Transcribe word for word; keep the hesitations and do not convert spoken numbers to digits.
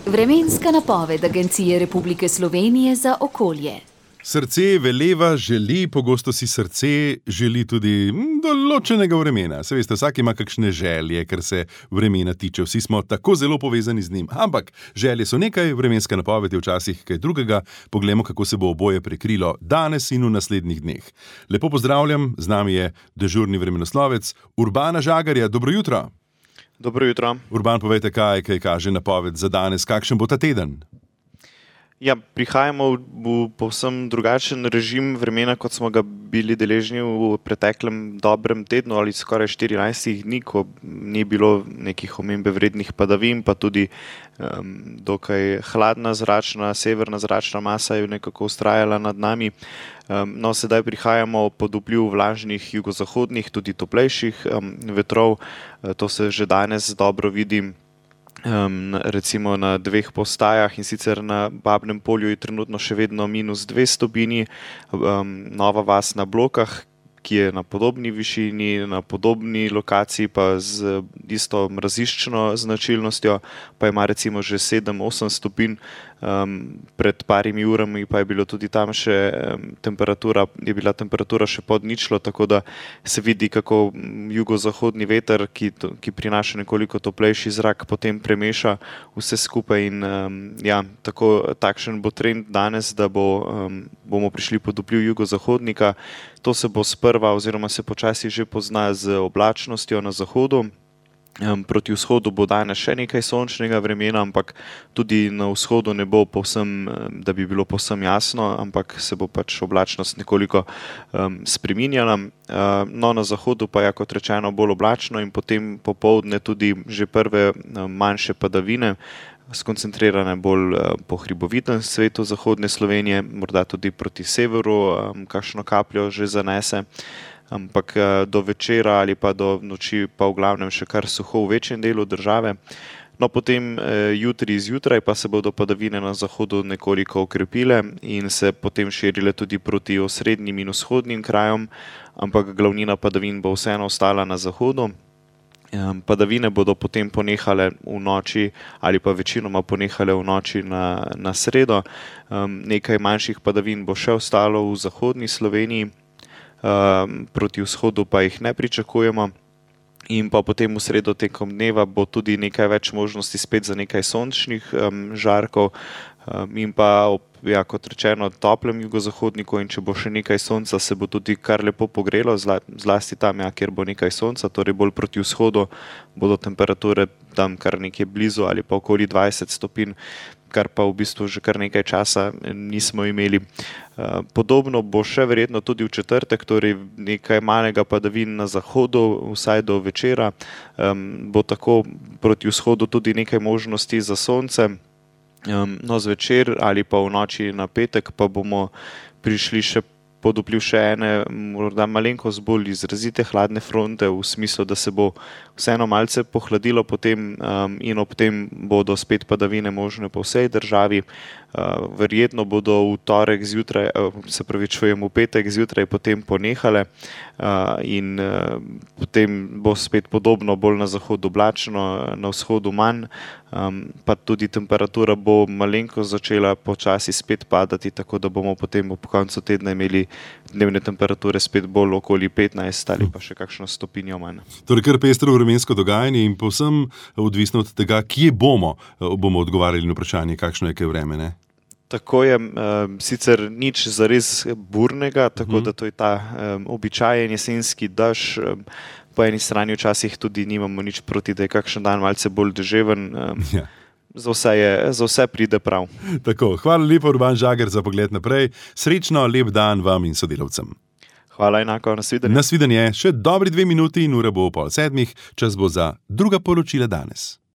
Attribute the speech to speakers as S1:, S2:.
S1: Vremenska napoved Agencije Republike Slovenije za okolje.
S2: Srce veleva, želi, pogosto si srce želi tudi določenega vremena. Se veste, vsak ima kakšne želje, kar se vremena tiče. Vsi smo tako zelo povezani z njim. Ampak želje so nekaj, vremenska napoved je včasih kaj drugega. Poglejmo, kako se bo oboje prekrilo danes in v naslednjih dneh. Lepo pozdravljam, z nami je dežurni vremenoslovec Urbana Žagarja. Dobro jutro.
S3: Dobro jutro.
S2: Urban, povejte, kaj, kaj kaže napoved za danes, kakšen bo ta teden?
S3: Ja, prihajamo v, v povsem drugačen režim vremena, kot smo ga bili deležni v preteklem dobrem tednu ali skoraj štirinajstih dni, ko ni bilo nekih omembe vrednih padavin, pa tudi um, dokaj hladna zračna, severna zračna masa je nekako vztrajala nad nami. Um, no, sedaj prihajamo pod vpliv vlažnih jugozahodnih, tudi toplejših um, vetrov. To se že danes dobro vidi. Um, recimo na dveh postajah, in sicer na Babnem polju je trenutno še vedno minus dve stopinji, um, Nova Vas na Blokah, ki je na podobni višini, na podobni lokaciji, pa z isto mraziščno značilnostjo, pa ima recimo že sedem osem stopinj. Um, pred parimi urami pa je bilo tudi tam še um, temperatura, je bila temperatura še pod ničlo, tako da se vidi, kako jugozahodni veter, ki, ki prinaša nekoliko toplejši zrak, potem premeša vse skupaj in um, ja, tako, takšen bo trend danes, da bo, um, bomo prišli pod vpliv jugozahodnika. To se bo sprva oziroma se počasi že pozna z oblačnostjo na zahodu. Proti vzhodu bo danes še nekaj sončnega vremena, ampak tudi na vzhodu ne bo povsem, da bi bilo povsem jasno, ampak se bo pač oblačnost nekoliko um, spreminjala. Uh, no, na zahodu pa je, kot rečeno, bolj oblačno in potem popoldne tudi že prve um, manjše padavine, skoncentrirane bolj uh, po hribovitem svetu zahodne Slovenije, morda tudi proti severu, um, kakšno kapljo že zanese. Ampak do večera ali pa do noči pa v glavnem še kar suho v večjem delu države. No, potem jutri zjutraj pa se bodo padavine na zahodu nekoliko okrepile in se potem širile tudi proti osrednjim in vzhodnim krajem, ampak glavnina padavin bo vseeno ostala na zahodu. Padavine bodo potem ponehale v noči ali pa večinoma ponehale v noči na, na sredo. Nekaj manjših padavin bo še ostalo v zahodni Sloveniji. Uh, proti vzhodu pa jih ne pričakujemo in pa potem v sredo tekom dneva bo tudi nekaj več možnosti spet za nekaj sončnih um, žarkov um, in pa ob, ja, kot rečeno, toplem jugozahodniku, in če bo še nekaj sonca, se bo tudi kar lepo pogrelo, zla, zlasti tam, ja, kjer bo nekaj sonca, torej bolj proti vzhodu bodo temperature tam kar nekje blizu ali pa okoli dvajset stopinj, kar pa v bistvu že kar nekaj časa nismo imeli. Podobno bo še verjetno tudi v četrtek, torej nekaj malega padavin na zahodu, vsaj do večera. Bo tako proti vzhodu tudi nekaj možnosti za sonce. No, zvečer ali pa v noči na petek pa bomo prišli še pod vpliv še ene morda malenkost bolj izrazite hladne fronte, v smislu, da se bo vseeno malce pohladilo potem um, in ob tem bodo spet padavine možne po vsej državi. Uh, verjetno bodo v torek zjutraj, uh, se pravi čujem v petek zjutraj potem ponehale uh, in uh, potem bo spet podobno, bolj na zahodu oblačno, na vzhodu manj, um, pa tudi temperatura bo malenkost začela počasi spet padati, tako da bomo potem ob koncu tedna imeli dnevne temperature spet bolj okoli petnajst ali pa še kakšno stopinjo manj.
S2: Torej kar pestro vremensko dogajanje in povsem odvisno od tega, kje bomo, bomo odgovarjali na vprašanje, kakšno je kaj vreme, ne?
S3: Tako je, um, sicer nič zares burnega, tako hmm. da to je ta um, običajen jesenski dež. Um, po eni strani včasih tudi nimamo nič proti, da je kakšen dan malce bolj deževen. Um, ja. Za vse, je, za vse pride prav.
S2: Tako, hvala lepo, Urban Žagar, za pogled naprej. Srečno, lep dan vam in sodelavcem.
S3: Hvala enako, nasvidenje.
S2: Nasvidenje, še dobri dve minuti in ura bo pol sedmih, čas bo za druga poročila danes.